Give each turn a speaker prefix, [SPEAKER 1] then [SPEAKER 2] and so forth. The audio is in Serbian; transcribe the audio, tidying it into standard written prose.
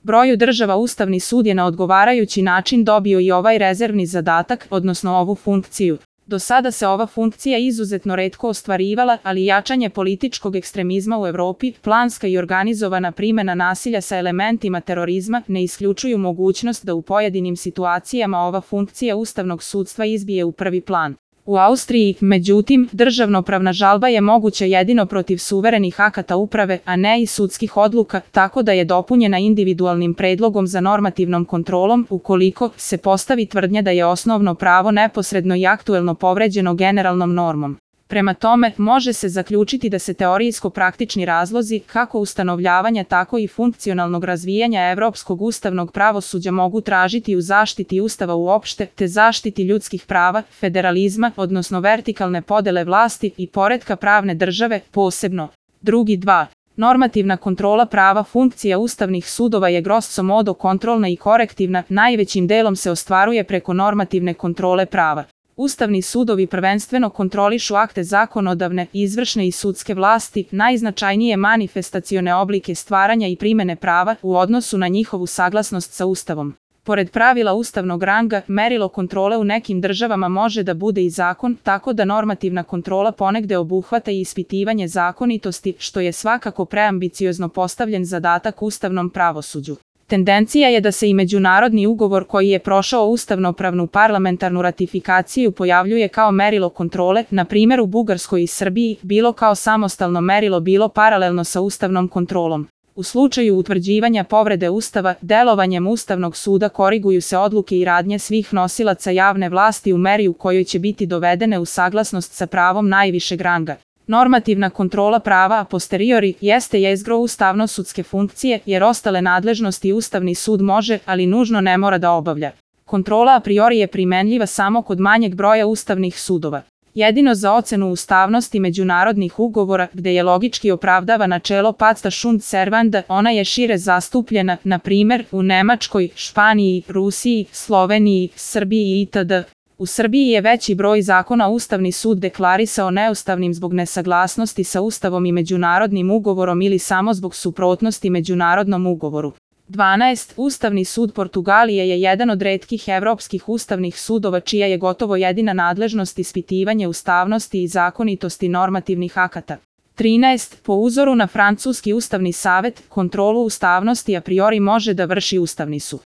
[SPEAKER 1] broju država Ustavni sud je na odgovarajući način dobio i ovaj rezervni zadatak, odnosno ovu funkciju. Do sada se ova funkcija izuzetno retko ostvarivala, ali jačanje političkog ekstremizma u Evropi, planska i organizovana primjena nasilja sa elementima terorizma ne isključuju mogućnost da u pojedinim situacijama ova funkcija ustavnog sudstva izbije u prvi plan. U Austriji, međutim, državnopravna žalba je moguća jedino protiv suverenih akata uprave, a ne i sudskih odluka, tako da je dopunjena individualnim predlogom za normativnom kontrolom ukoliko se postavi tvrdnja da je osnovno pravo neposredno i aktuelno povređeno generalnom normom. Prema tome, može se zaključiti da se teorijsko-praktični razlozi, kako ustanovljavanja tako i funkcionalnog razvijanja evropskog ustavnog pravosuđa mogu tražiti u zaštiti Ustava uopšte, te zaštiti ljudskih prava, federalizma, odnosno vertikalne podele vlasti i poretka pravne države, posebno. Drugi 2. Normativna kontrola prava funkcija ustavnih sudova je grosso modo kontrolna i korektivna, najvećim delom se ostvaruje preko normativne kontrole prava. Ustavni sudovi prvenstveno kontrolišu akte zakonodavne, izvršne i sudske vlasti, najznačajnije manifestacione oblike stvaranja i primene prava u odnosu na njihovu saglasnost sa Ustavom. Pored pravila ustavnog ranga, merilo kontrole u nekim državama može da bude i zakon, tako da normativna kontrola ponegde obuhvata i ispitivanje zakonitosti, što je svakako preambiciozno postavljen zadatak ustavnom pravosuđu. Tendencija je da se i međunarodni ugovor koji je prošao ustavnopravnu parlamentarnu ratifikaciju pojavljuje kao merilo kontrole, na primjer u Bugarskoj i Srbiji, bilo kao samostalno merilo, bilo paralelno sa ustavnom kontrolom. U slučaju utvrđivanja povrede Ustava, delovanjem Ustavnog suda koriguju se odluke i radnje svih nosilaca javne vlasti u meri u kojoj će biti dovedene u saglasnost sa pravom najvišeg ranga. Normativna kontrola prava a posteriori jeste jezgro ustavno-sudske funkcije, jer ostale nadležnosti Ustavni sud može, ali nužno ne mora da obavlja. Kontrola a priori je primenljiva samo kod manjeg broja ustavnih sudova. Jedino za ocenu ustavnosti međunarodnih ugovora, gde je logički opravdava načelo pacta sunt servanda, ona je šire zastupljena, na primjer, u Nemačkoj, Španiji, Rusiji, Sloveniji, Srbiji itd. U Srbiji je veći broj zakona Ustavni sud deklarisao neustavnim zbog nesaglasnosti sa Ustavom i međunarodnim ugovorom ili samo zbog suprotnosti međunarodnom ugovoru. 12. Ustavni sud Portugalije je jedan od retkih evropskih ustavnih sudova čija je gotovo jedina nadležnost ispitivanje ustavnosti i zakonitosti normativnih akata. 13. Po uzoru na francuski ustavni savet, kontrolu ustavnosti a priori može da vrši Ustavni sud.